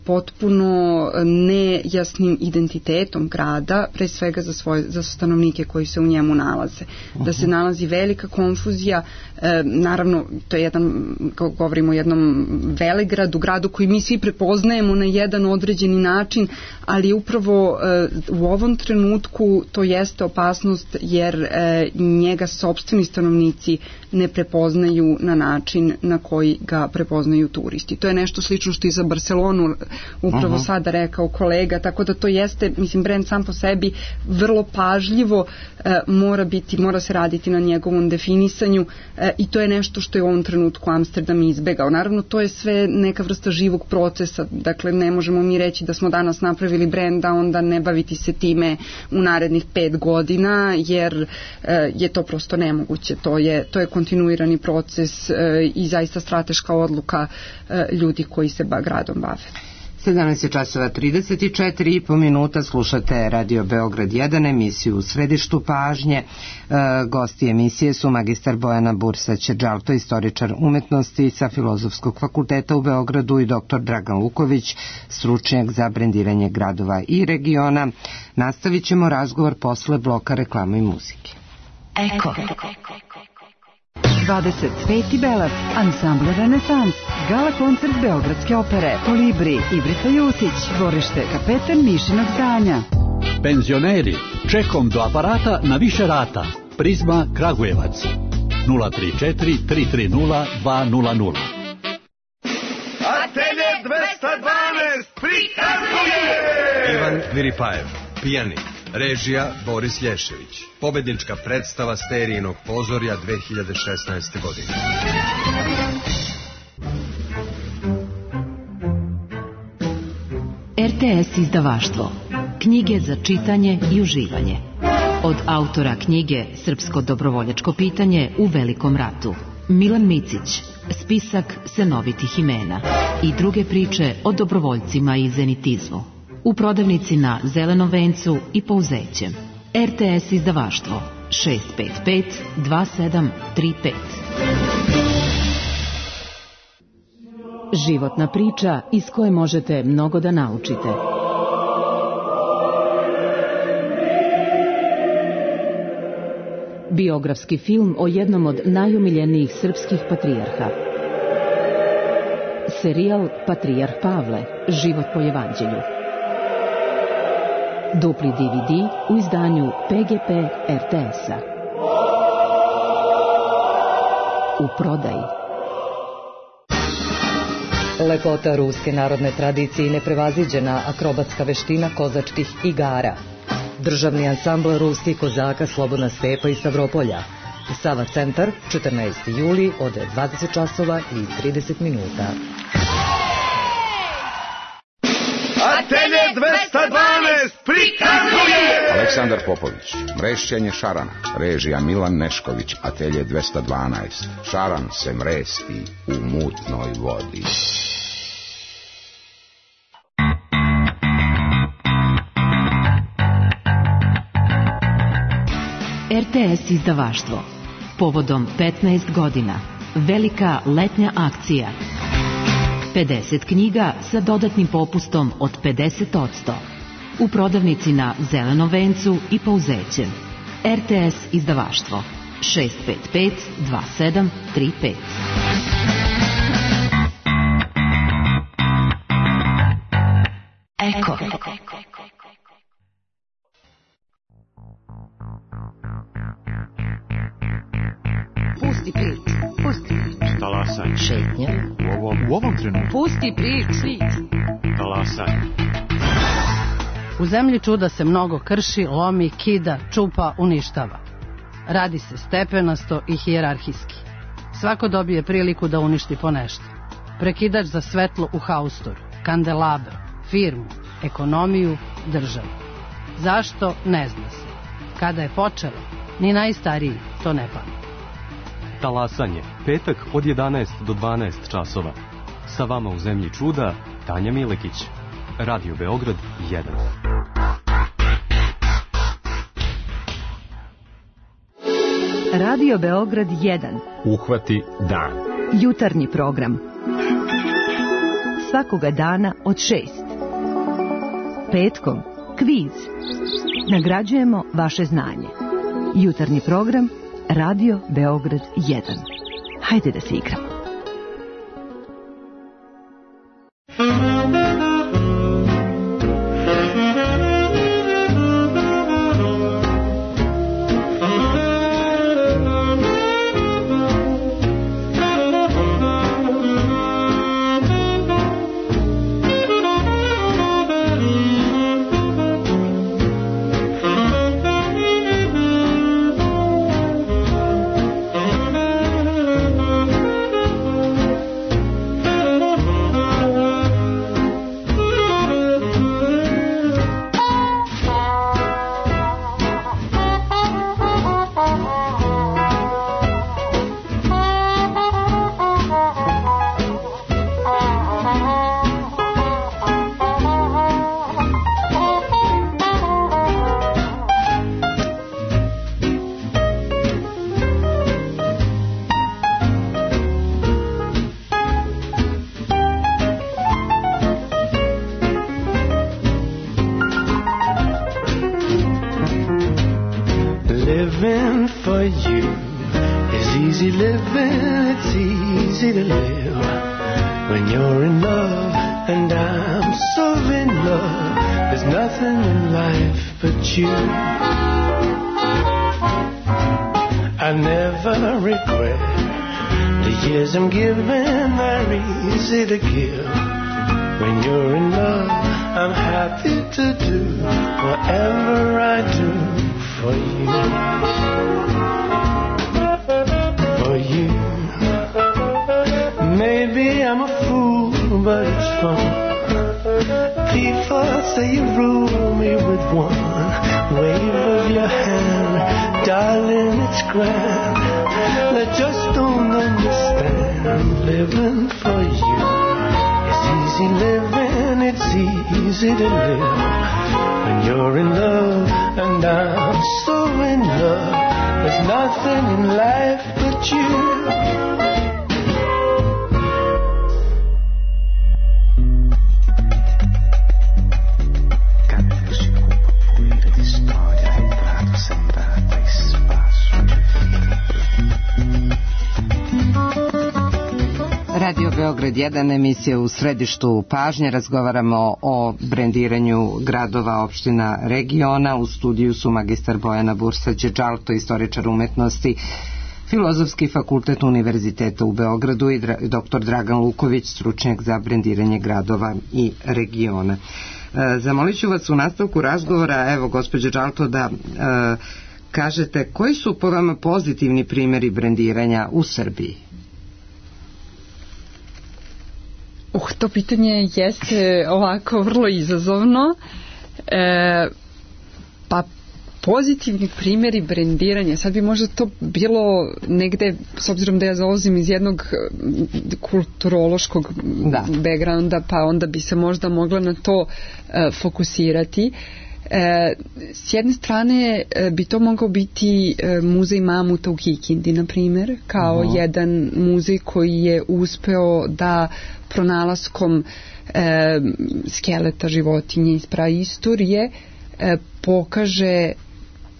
potpuno nejasnim identitetom grada, pre svega za svoje za stanovnike koji se u njemu nalaze. Uh-huh. Da se nalazi velika konfuzija, e, naravno to je jedan, govorimo o jednom velegradu, gradu koji mi svi prepoznajemo na jedan određeni način, ali upravo e, u ovom trenutku to jeste opasnost jer e, njega sopstveni stanovnici ne prepoznaju na način na koji ga prepoznaju turisti. To je nešto slično što i za Barcelonu upravo uh-huh. sada rekao kolega, tako da to jeste, mislim, brend sam po sebi vrlo pažljivo e, mora biti, mora se raditi na njegovom definisanju e, i to je nešto što je u ovom trenutku Amsterdam izbegao. Naravno, to je sve neka vrsta živog procesa procesa. Dakle, ne možemo mi reći da smo danas napravili brend, a onda ne baviti se time u narednih pet godina, jer e, je to prosto nemoguće. To je, to je kontinuirani proces e, i zaista strateška odluka e, ljudi koji se ba, gradom bave. sedamnaest je časova trideset četiri i po minuta, slušate Radio Beograd jedan, emisiju U središtu pažnje. E, gosti emisije su magistar Bojana Bursać-Đalto, istoričar umetnosti sa Filozofskog fakulteta u Beogradu, i doktor Dragan Luković, stručnjak za brendiranje gradova i regiona. Nastavit ćemo razgovor posle bloka reklama i muzike. Eko. dvadeset peti Belac, ansambl Renesans, gala koncert Beogradske opere, Kolibri, Ibrica Jusić, dvorište Kapetan Mišinog zdanja. Penzioneri, čekom do aparata na više rata. Prizma Kragujevac. nula tri četiri tri tri nula dva nula nula. Atelje dvesta dvanaest prikazuje Ivan Viripajev, pijanik. Režija Boris Lješević. Pobednička predstava Sterijinog pozorja dve hiljade šesnaeste. godine. R T S izdavaštvo. Knjige za čitanje i uživanje. Od autora knjige Srpsko dobrovoljačko pitanje u Velikom ratu, Milan Micić, spisak senovitih imena i druge priče o dobrovoljcima i zenitizmu. U prodavnici na Zelenom vencu i Pouzećem. R T S izdavaštvo šest pet pet dva sedam tri pet. Životna priča iz koje možete mnogo da naučite. Biografski film o jednom od najomiljenijih srpskih patrijarha. Serijal Patrijarh Pavle, život po evanđelju. Dupli D V D u izdanju P G P R T S-a. U prodaji. Lepota ruske narodne tradicije i neprevaziđena akrobatska veština kozačkih igara. Državni ansambl ruskih kozaka Slobodna stepa iz Stavropolja. Sava centar, četrnaesti juli od dvadeset časova i trideset minuta. Atelje dvesta dvanaest prikazuje Aleksandar Popović, mrešćenje šarana. Režija Milan Nešković, Atelje dvesta dvanaest. Šaran se mresti u mutnoj vodi. R T S izdavaštvo. Povodom petnaest godina. Velika letnja akcija. pedeset knjiga sa dodatnim popustom od pedeset posto. U prodavnici na Zelenom vencu i Pouzećem. R T S izdavaštvo šest pet pet dva sedam tri pet. Eko. Pusti priču, pusti priču. Talasanje. Šetnja. U ovom, u ovom trenutku. Pusti priču. Talasanje. U zemlji čuda se mnogo krši, lomi, kida, čupa, uništava. Radi se stepenasto i hijerarhijski. Svako dobije priliku da uništi po nešto. Prekidač za svetlo u haustoru, kandelabr, firmu, ekonomiju, državu. Zašto, ne zna se. Kada je počelo, ni najstariji to ne pamti. Talasanje. Petak od jedanaest do dvanaest časova. Sa vama u zemlji čuda, Tanja Milekić. Radio Beograd jedan. Radio Beograd jedan. Uhvati dan. Jutarnji program. Svakoga dana od šest. Petkom kviz. Nagrađujemo vaše znanje. Jutarnji program Radio Beograd jedan. Hajde da se igramo. easy living, it's easy to live when you're in love, and I'm so in love. There's nothing in life but you. I never regret the years I'm giving, they're easy to give. When you're in love, I'm happy to do whatever I do for you. For you. Maybe I'm a fool, but it's fun. People say you rule me with one wave of your hand. Darling, it's grand. They just don't understand living for you. It's easy living, it's easy to live when you're in love, and I'm so in love. There's nothing in life but you. Radio Beograd jedan, emisija u središtu pažnje. Razgovaramo o brendiranju gradova, opština, regiona. U studiju su magistar Bojana Bursa-Đeđalto, istoričar umetnosti, Filozofski fakultet Univerziteta u Beogradu, i doktor Dragan Luković, stručnjak za brendiranje gradova i regiona. E, zamolit ću vas u nastavku razgovora, evo, gospođo Đeđalto, da e, kažete koji su po vama pozitivni primjeri brendiranja u Srbiji? Uh, to pitanje jeste ovako vrlo izazovno. E, pa pozitivni primjeri brendiranja, sad bi možda to bilo negde, s obzirom da ja dolazim iz jednog kulturološkog da. backgrounda, pa onda bi se možda mogla na to e, fokusirati. E, s jedne strane e, bi to mogao biti e, muzej mamuta u Kikindi, na primjer, kao uh-huh. jedan muzej koji je uspeo da pronalaskom e, skeleta životinje iz praistorije e, pokaže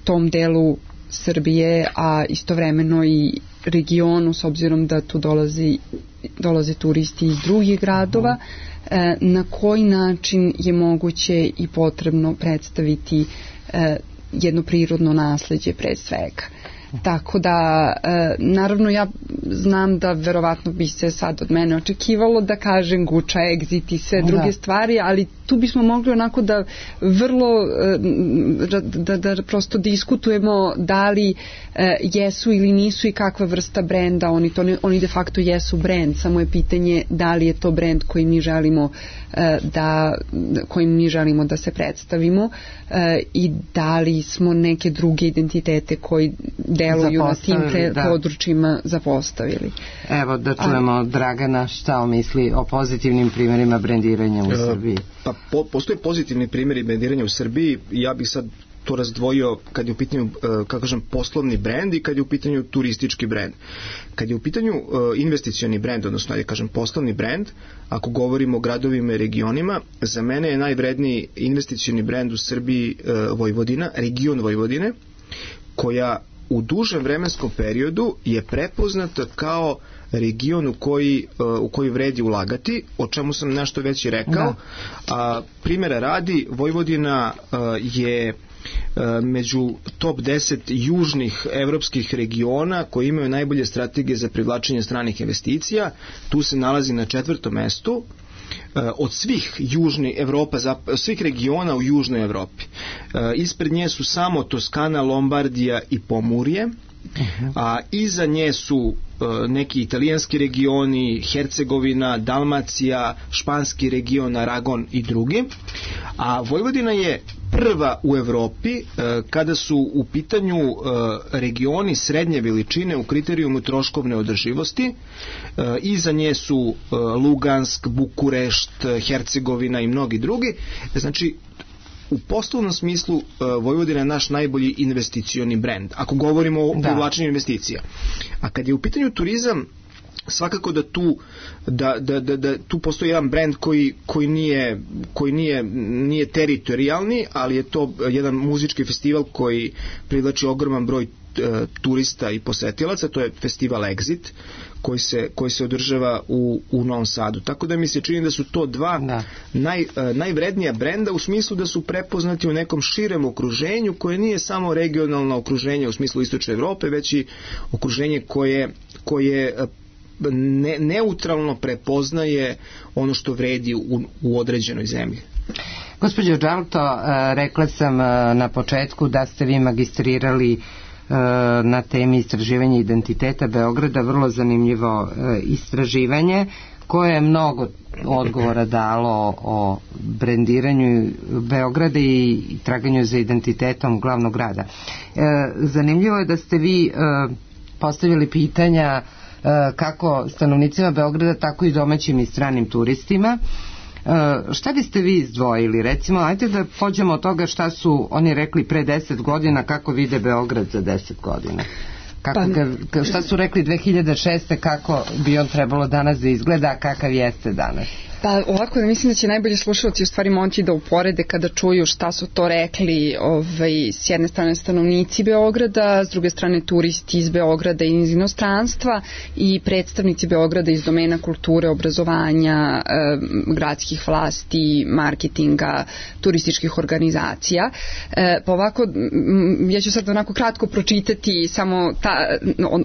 tom delu Srbije, a istovremeno i regionu, s obzirom da tu dolazi, dolaze turisti iz drugih gradova, e, na koji način je moguće i potrebno predstaviti e, jedno prirodno nasleđe pre svega. Tako da, e, naravno ja znam da verovatno bi se sad od mene očekivalo da kažem Guča, Egzit i sve druge da. stvari, ali tu bismo mogli onako da vrlo e, da, da prosto diskutujemo da li e, jesu ili nisu i kakva vrsta brenda, oni, to ne, oni de facto jesu brend, samo je pitanje da li je to brend koji mi želimo e, da, kojim mi želimo da se predstavimo e, i da li smo neke druge identitete koji deluju na tim pre, da. područjima zapostavili. Evo da čujemo A, Dragana šta on misli o pozitivnim primjerima brendiranja u Srbiji. Pa po, postoje pozitivni primjeri brendiranja u Srbiji. Ja bih sad to razdvojio kad je u pitanju, kako kažem, poslovni brend i kad je u pitanju turistički brend. Kad je u pitanju investicioni brend, odnosno da kažem poslovni brend, ako govorimo o gradovima i regionima, za mene je najvredniji investicioni brend u Srbiji Vojvodina, region Vojvodine, koja u dužem vremenskom periodu je prepoznata kao region u koji, u koji vredi ulagati, o čemu sam nešto već i rekao. A, primjera radi, Vojvodina a, je a, među top deset južnih evropskih regiona koji imaju najbolje strategije za privlačenje stranih investicija. Tu se nalazi na četvrtom mestu od svih južnih Evropa, svih regiona u južnoj Evropi. Ispred nje su samo Toskana, Lombardija i Pomurje, a iza nje su neki italijanski regioni, Hercegovina, Dalmacija, španski region, Aragon i drugi. A Vojvodina je prva u Evropi kada su u pitanju regioni srednje veličine u kriterijumu troškovne održivosti. Iza nje su Lugansk, Bukurešt, Hercegovina i mnogi drugi. Znači, u poslovnom smislu Vojvodina je naš najbolji investicioni brend, ako govorimo o privlačenju investicija. A kad je u pitanju turizam, svakako da tu da, da, da, da tu postoji jedan brend koji, koji, nije, koji nije, nije teritorijalni, ali je to jedan muzički festival koji privlači ogroman broj turista i posetilaca, to je festival Exit koji se, koji se održava u, u Novom Sadu. Tako da mi se čini da su to dva da. Naj, najvrednija brenda u smislu da su prepoznati u nekom širem okruženju koje nije samo regionalno okruženje u smislu Istočne Evrope, već i okruženje koje, koje ne, neutralno prepoznaje ono što vredi u, u određenoj zemlji. Gospođo Đalto, rekla sam na početku da ste vi magistrirali na temi istraživanja identiteta Beograda, vrlo zanimljivo istraživanje koje je mnogo odgovora dalo o brendiranju Beograda i traganju za identitetom glavnog grada. Zanimljivo je da ste vi postavili pitanja kako stanovnicima Beograda, tako i domaćim i stranim turistima. Šta biste vi izdvojili? Recimo, ajde da pođemo od toga šta su oni rekli pre deset godina, kako vide Beograd za deset godina. Kako ga, šta su rekli dve hiljade šeste kako bi on trebalo danas da izgleda, a kakav jeste danas? Pa ovako, mislim da će najbolji slušalci u stvari moći da uporede kada čuju šta su to rekli ovaj, s jedne strane stanovnici Beograda, s druge strane turisti iz Beograda i iz inostranstva i predstavnici Beograda iz domena kulture, obrazovanja, eh, gradskih vlasti, marketinga, turističkih organizacija. Eh, pa ovako, m, ja ću sad onako kratko pročitati samo ta,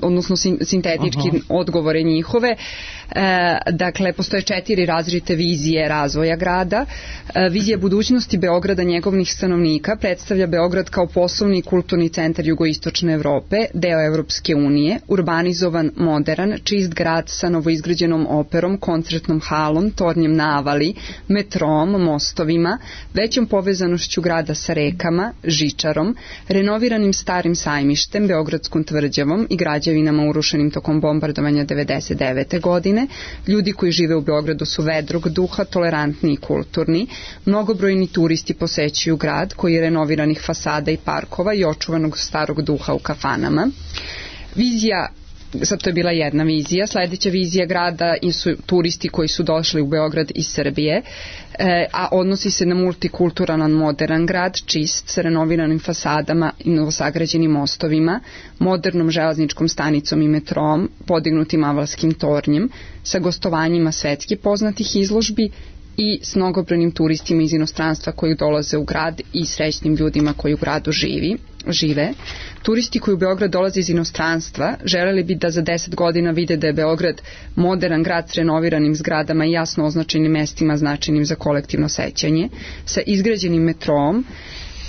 odnosno sintetički uh-huh. odgovore njihove. E, dakle, postoje četiri različite vizije razvoja grada. E, vizija budućnosti Beograda, njegovnih stanovnika, predstavlja Beograd kao poslovni i kulturni centar jugoistočne Evrope, deo Evropske unije, urbanizovan, modern, čist grad sa novoizgrađenom operom, koncertnom halom, tornjem na Avali, metrom, mostovima, većom povezanošću grada sa rekama, žičarom, renoviranim starim sajmištem, Beogradskom tvrđavom i građevinama urušenim tokom bombardovanja devedeset devete godine. Ljudi koji žive u Beogradu su vedrog duha, tolerantni i kulturni. Mnogobrojni turisti posećuju grad koji je renoviranih fasada i parkova i očuvanog starog duha u kafanama. Vizija, sad to je bila jedna vizija, sledeća vizija grada su turisti koji su došli u Beograd iz Srbije, e, a odnosi se na multikulturalan modern grad, čist, sa renoviranim fasadama i novosagrađenim mostovima, modernom železničkom stanicom i metrom, podignutim avalskim tornjem, sa gostovanjima svetski poznatih izložbi i s mnogobrojnim turistima iz inostranstva koji dolaze u grad i srećnim ljudima koji u gradu živi, žive. Turisti koji u Beograd dolaze iz inostranstva želeli bi da za deset godina vide da je Beograd modern grad s renoviranim zgradama i jasno označenim mestima značajnim za kolektivno sećanje, sa izgrađenim metrom,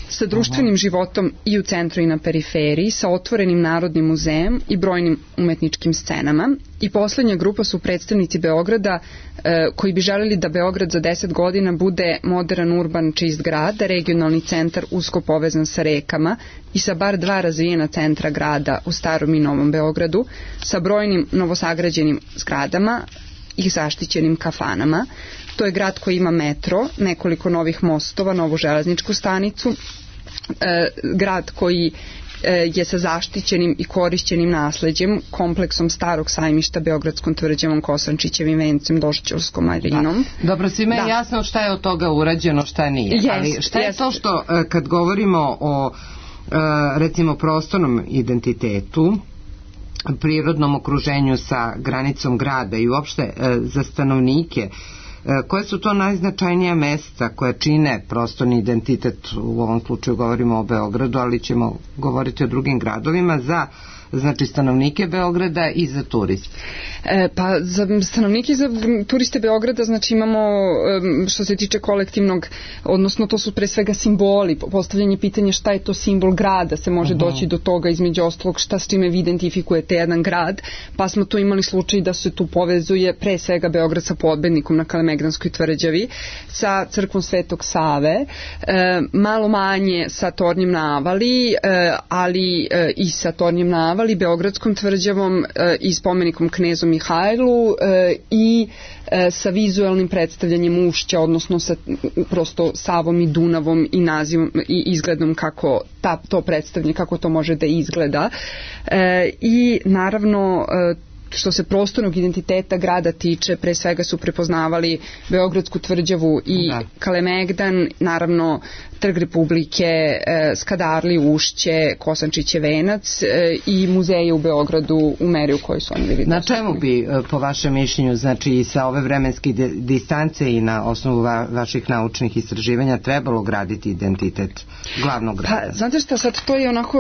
sa društvenim životom i u centru i na periferiji, sa otvorenim narodnim muzejem i brojnim umetničkim scenama. I poslednja grupa su predstavnici Beograda e, koji bi želeli da Beograd za deset godina bude modern, urban, čist grad, regionalni centar usko povezan sa rekama i sa bar dva razvijena centra grada u Starom i Novom Beogradu, sa brojnim novosagrađenim zgradama i zaštićenim kafanama. To je grad koji ima metro, nekoliko novih mostova, novu železničku stanicu, e, grad koji e, je sa zaštićenim i korišćenim nasleđem, kompleksom starog sajmišta, Beogradskom tvrđavom, Kosančićevim vencem, Došćolskom marinom. Da. Dobro, svima je da. jasno šta je od toga urađeno, šta nije. Yes, ali šta je yes. to što kad govorimo o recimo prostornom identitetu, prirodnom okruženju sa granicom grada i uopšte za stanovnike, koje su to najznačajnija mesta koje čine prostorni identitet, u ovom slučaju govorimo o Beogradu, ali ćemo govoriti o drugim gradovima, za znači stanovnike Beograda i za turiste? E, pa za stanovnike i za turiste Beograda znači imamo što se tiče kolektivnog, odnosno to su pre svega simboli, postavljanje pitanja šta je to simbol grada, se može uh-huh. doći do toga između ostalog šta s čime vi identifikujete jedan grad, pa smo tu imali slučaj da se tu povezuje pre svega Beograd sa Podbednikom na Kalemegdanskoj tvrđavi, sa crkvom Svetog Save, e, malo manje sa tornjem na Avali, e, ali e, i sa tornjem na Avali, Beogradskom tvrđavom e, i spomenikom knezu Mihajlu e, i e, sa vizualnim predstavljanjem ušća, odnosno sa prosto Savom i Dunavom i nazivom i izgledom kako ta, to predstavljanje, kako to može da izgleda. E, I naravno e, što se prostornog identiteta grada tiče, pre svega su prepoznavali Beogradsku tvrđavu i da. Kalemegdan, naravno Trg Republike, e, Skadarli, Ušće, Kosančiće venac e, i muzeje u Beogradu u meri u kojoj su oni bili. Na čemu bi, po vašem mišljenju, znači sa ove vremenske distance i na osnovu va, vaših naučnih istraživanja trebalo graditi identitet glavnog grada? Pa, znate šta, sad to je onako,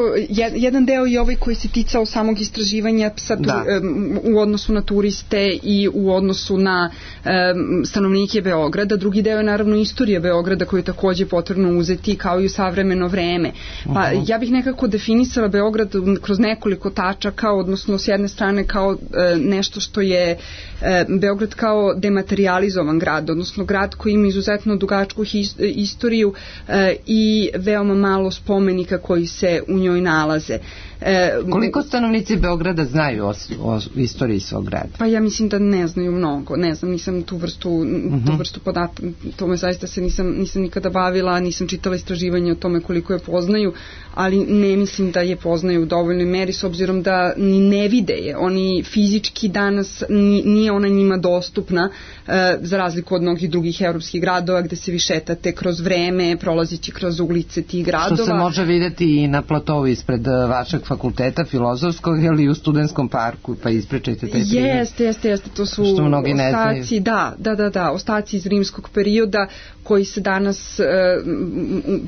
jedan deo je ovaj koji se ticao samog istraživanja sad tu, um, u odnosu na turiste i u odnosu na um, stanovnike Beograda, drugi deo je naravno istorija Beograda koju je takođe potrebno uzeti kao i u savremeno vreme. Pa uh-huh. ja bih nekako definisala Beograd kroz nekoliko tačaka, odnosno s jedne strane kao uh, nešto što je uh, Beograd kao dematerializovan grad, odnosno grad koji ima izuzetno dugačku his, istoriju uh, i veoma malo spomenika koji se u njoj nalaze. E, Koliko stanovnici Beograda znaju o, o istoriji svog grada? Pa ja mislim da ne znaju mnogo, ne znam, nisam tu vrstu, uh-huh. tu vrstu podataka, tome zaista se nisam, nisam nikada bavila, nisam čitala istraživanje o tome koliko je poznaju, ali ne mislim da je poznaju u dovoljnoj meri, s obzirom da ni ne vide je, oni fizički danas ni, nije ona njima dostupna, e, za razliku od mnogih drugih evropskih gradova gde se vi šetate kroz vreme, prolazići kroz ulice tih gradova. Što se može videti i na platovu ispred vašeg fakulteta filozofskog ili u Studentskom parku, pa ispričajte taj primjer. Jeste, jeste, jeste, to su ostaci, da, da, da, da, ostaci iz rimskog perioda koji se danas e,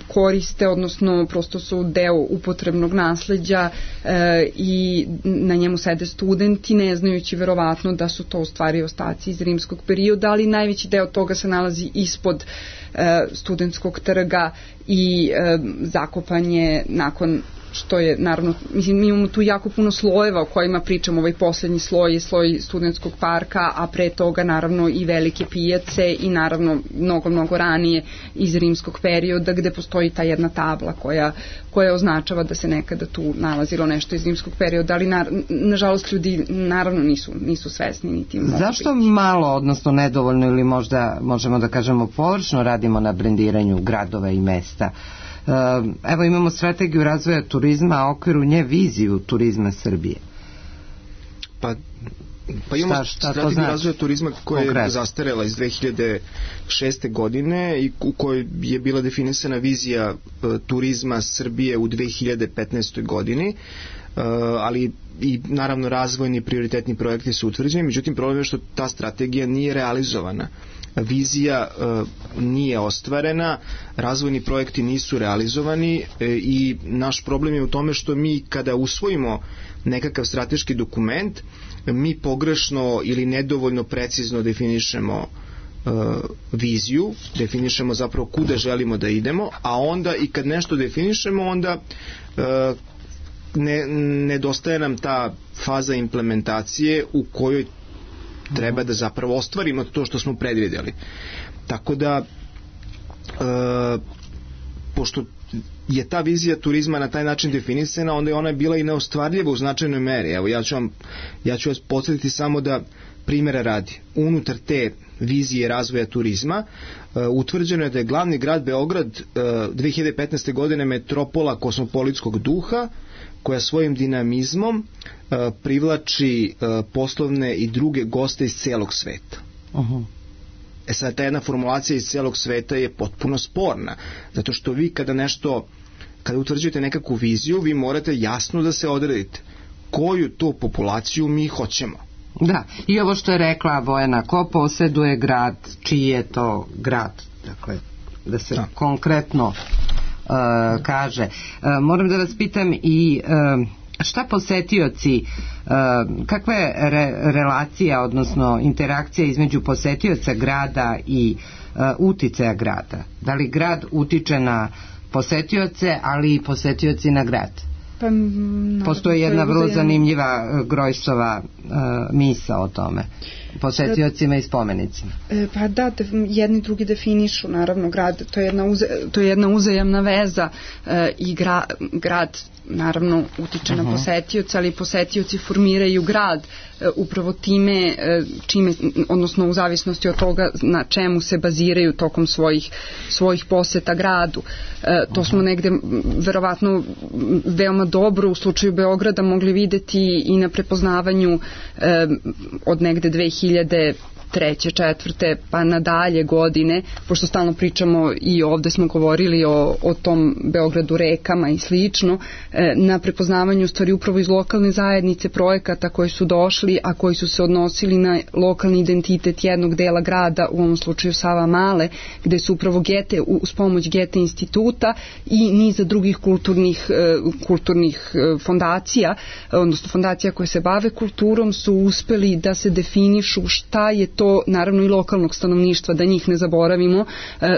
koriste, odnosno prosto su deo upotrebnog nasleđa e, i na njemu sede studenti, ne znajući verovatno da su to u stvari ostaci iz rimskog perioda, ali najveći deo toga se nalazi ispod e, Studentskog trga i e, zakopan je nakon što je, naravno, mislim, mi imamo tu jako puno slojeva o kojima pričamo, ovaj poslednji sloj je sloj Studentskog parka, a pre toga, naravno, i velike pijace i, naravno, mnogo, mnogo ranije iz rimskog perioda, gde postoji ta jedna tabla koja, koja označava da se nekada tu nalazilo nešto iz rimskog perioda, ali, na, nažalost, ljudi, naravno, nisu, nisu svesni niti mogu. Zašto malo, odnosno nedovoljno, ili možda, možemo da kažemo, površno radimo na brendiranju gradova i mesta? Evo imamo strategiju razvoja turizma, a okviru nje viziju turizma Srbije. Pa, pa imamo šta, šta strategiju znači? razvoja turizma koja je Konkret. zastarela iz dve hiljade šeste. godine i u kojoj je bila definisana vizija uh, turizma Srbije u dve hiljade petnaestoj. godini, uh, ali i naravno razvojni prioritetni projekti su utvrđeni, međutim problem je što ta strategija nije realizovana. Vizija e, nije ostvarena, razvojni projekti nisu realizovani e, i naš problem je u tome što mi kada usvojimo nekakav strateški dokument, mi pogrešno ili nedovoljno precizno definišemo e, viziju, definišemo zapravo kuda želimo da idemo, a onda i kad nešto definišemo, onda e, ne, nedostaje nam ta faza implementacije u kojoj treba da zapravo ostvarimo to što smo predvidjeli. Tako da e, pošto je ta vizija turizma na taj način definisana, onda je ona bila i neostvarljiva u značajnoj meri. Evo, ja ću, vam, ja ću vas podsjetiti samo da primjera radi. Unutar te vizije razvoja turizma e, utvrđeno je da je glavni grad Beograd e, dve hiljade petnaeste. godine metropola kosmopolitskog duha, koja svojim dinamizmom uh, privlači uh, poslovne i druge goste iz celog sveta. Uh-huh. E sad, ta jedna formulacija iz celog sveta je potpuno sporna, zato što vi kada nešto, kada utvrđujete nekakvu viziju, vi morate jasno da se odredite koju to populaciju mi hoćemo. Da, i ovo što je rekla Bojana, ko poseduje grad, čiji je to grad, dakle, da se da. konkretno Uh, kaže. Uh, moram da vas pitam i uh, šta posetioci, uh, kakva je re, relacija, odnosno interakcija između posetioca grada i uh, uticaja grada? Da li grad utiče na posetioce, ali i posetioci na grad? Pa, no, postoji jedna vrlo zanimljiva Grojsova uh, misa o tome. posetiocima i spomenicima. E, pa da, def, jedni drugi definišu naravno grad, to je jedna, uze, to je jedna uzajamna veza e, i gra, grad naravno utiče uh-huh. na posetioca, ali posetioci formiraju grad e, upravo time e, čime, odnosno u zavisnosti od toga na čemu se baziraju tokom svojih, svojih poseta gradu. E, to uh-huh. smo negde verovatno veoma dobro u slučaju Beograda mogli videti i na prepoznavanju e, od negde dve hiljade treće, četvrte, pa nadalje godine, pošto stalno pričamo i ovde smo govorili o, o tom Beogradu rekama i slično, e, na prepoznavanju stvari upravo iz lokalne zajednice projekata koji su došli, a koji su se odnosili na lokalni identitet jednog dela grada, u ovom slučaju Savamale, gde su upravo Gete, uz pomoć Gete instituta i niza drugih kulturnih, e, kulturnih e, fondacija, odnosno fondacija koje se bave kulturom, su uspeli da se definišu šta je to, naravno i lokalnog stanovništva, da njih ne zaboravimo,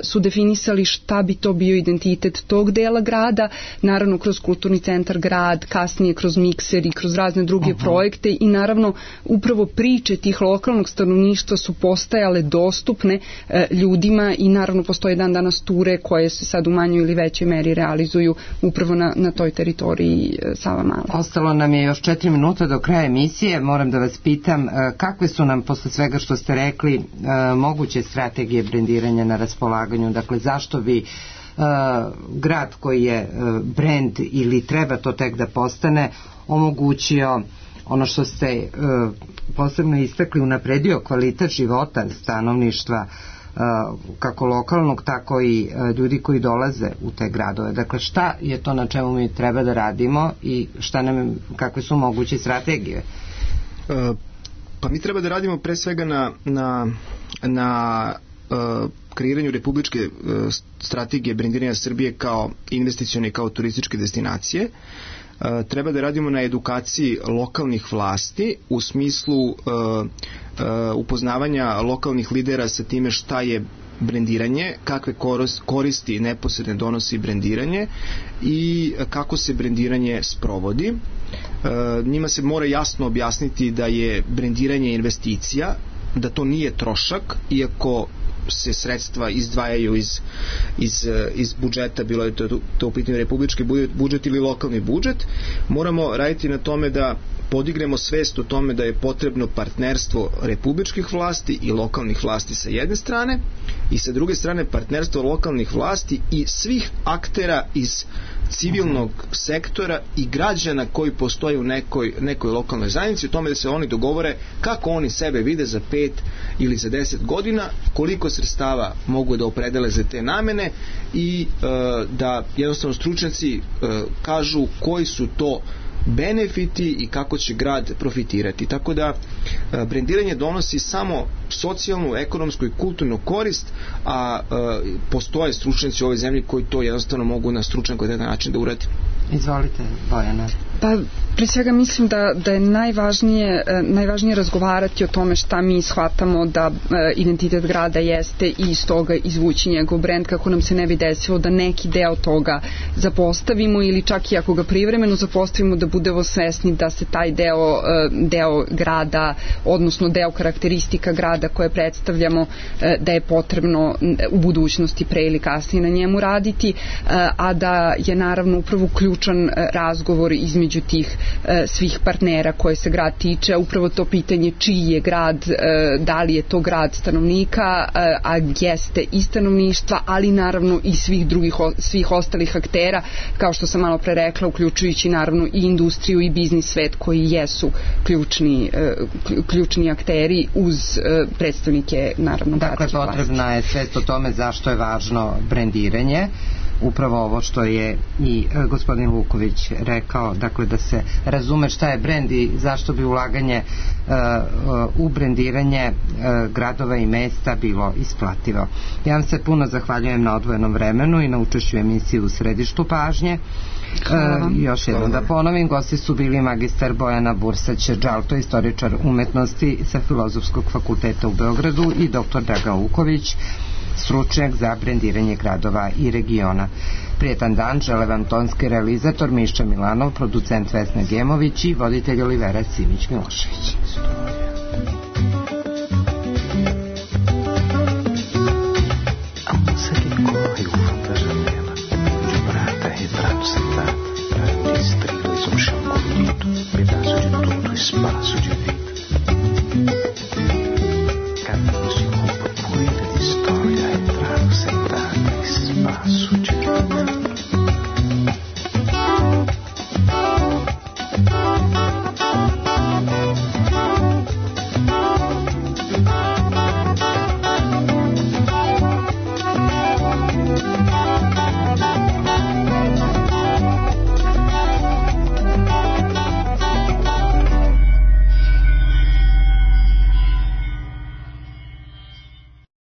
su definisali šta bi to bio identitet tog dela grada, naravno kroz kulturni centar grad, kasnije kroz mikser i kroz razne druge uh-huh. projekte i naravno upravo priče tih lokalnog stanovništva su postajale dostupne e, ljudima i naravno postoje dan danas ture koje se sad u manjoj ili većoj meri realizuju upravo na, na toj teritoriji e, Savamale. Ostalo nam je još četiri minuta do kraja emisije, moram da vas pitam e, kakve su nam posle svega što ste rekli e, moguće strategije brendiranja na raspolaganju, dakle zašto bi e, grad koji je e, brend ili treba to tek da postane omogućio ono što ste e, posebno istakli, unapredio kvalitet života stanovništva e, kako lokalnog tako i e, ljudi koji dolaze u te gradove, dakle šta je to na čemu mi treba da radimo i šta nam, kakve su moguće strategije? E, Pa mi treba da radimo pre svega na, na, na uh, kreiranju republičke uh, strategije brendiranja Srbije kao investicione i kao turističke destinacije. Uh, treba da radimo na edukaciji lokalnih vlasti u smislu uh, uh, upoznavanja lokalnih lidera sa time šta je brendiranje, kakve koristi neposredne donosi brendiranje i kako se brendiranje sprovodi. E, njima se mora jasno objasniti da je brendiranje investicija, da to nije trošak, iako se sredstva izdvajaju iz, iz, iz budžeta, bilo je to, to u pitanju republički budžet ili lokalni budžet. Moramo raditi na tome da podignemo svest o tome da je potrebno partnerstvo republičkih vlasti i lokalnih vlasti sa jedne strane i sa druge strane partnerstvo lokalnih vlasti i svih aktera iz civilnog sektora i građana koji postoje u nekoj, nekoj lokalnoj zajednici, o tome da se oni dogovore kako oni sebe vide za pet ili za deset godina, koliko sredstava mogu da opredele za te namene i e, da jednostavno stručnjaci e, kažu koji su to benefiti i kako će grad profitirati. Tako da e, brendiranje donosi samo socijalnu, ekonomsku i kulturnu korist, a e, postoje stručnjaci u ovoj zemlji koji to jednostavno mogu na stručan kvalitetan način da uradi. Izvolite, Bojana. Pa, pre svega mislim da, da je najvažnije, najvažnije razgovarati o tome šta mi shvatamo da e, identitet grada jeste i iz toga izvući njegov brend, kako nam se ne bi desilo da neki deo toga zapostavimo ili čak i ako ga privremeno zapostavimo da budemo svesni da se taj deo, e, deo grada, odnosno deo karakteristika grada koje predstavljamo, e, da je potrebno u budućnosti pre ili kasnije na njemu raditi, e, a da je naravno upravo ključan razgovor između tih e, svih partnera koje se grad tiče, upravo to pitanje čiji je grad, e, da li je to grad stanovnika, e, a jeste i stanovništva, ali naravno i svih drugih, o, svih ostalih aktera, kao što sam malo pre rekla, uključujući naravno i industriju i biznis svet koji jesu ključni, e, ključni akteri uz e, predstavnike naravno dakle potrebna je svest o tome zašto je važno brendiranje, upravo ovo što je i e, gospodin Luković rekao, dakle da se razume šta je brend i zašto bi ulaganje e, u brendiranje e, gradova i mesta bilo isplativo. Ja vam se puno zahvaljujem na odvojenom vremenu i na učešću emisiji U središtu pažnje. E, još jednom da ponovim, gosti su bili magistar Bojana Bursać-Đalto, istoričar umetnosti sa Filozofskog fakulteta u Beogradu, i doktor Dragan Luković, stručnjak za brendiranje gradova i regiona. Prijetan dan žele vam tonski realizator Miša Milanov, producent Vesna Gemović i voditelj Olivera Simić-Milošević.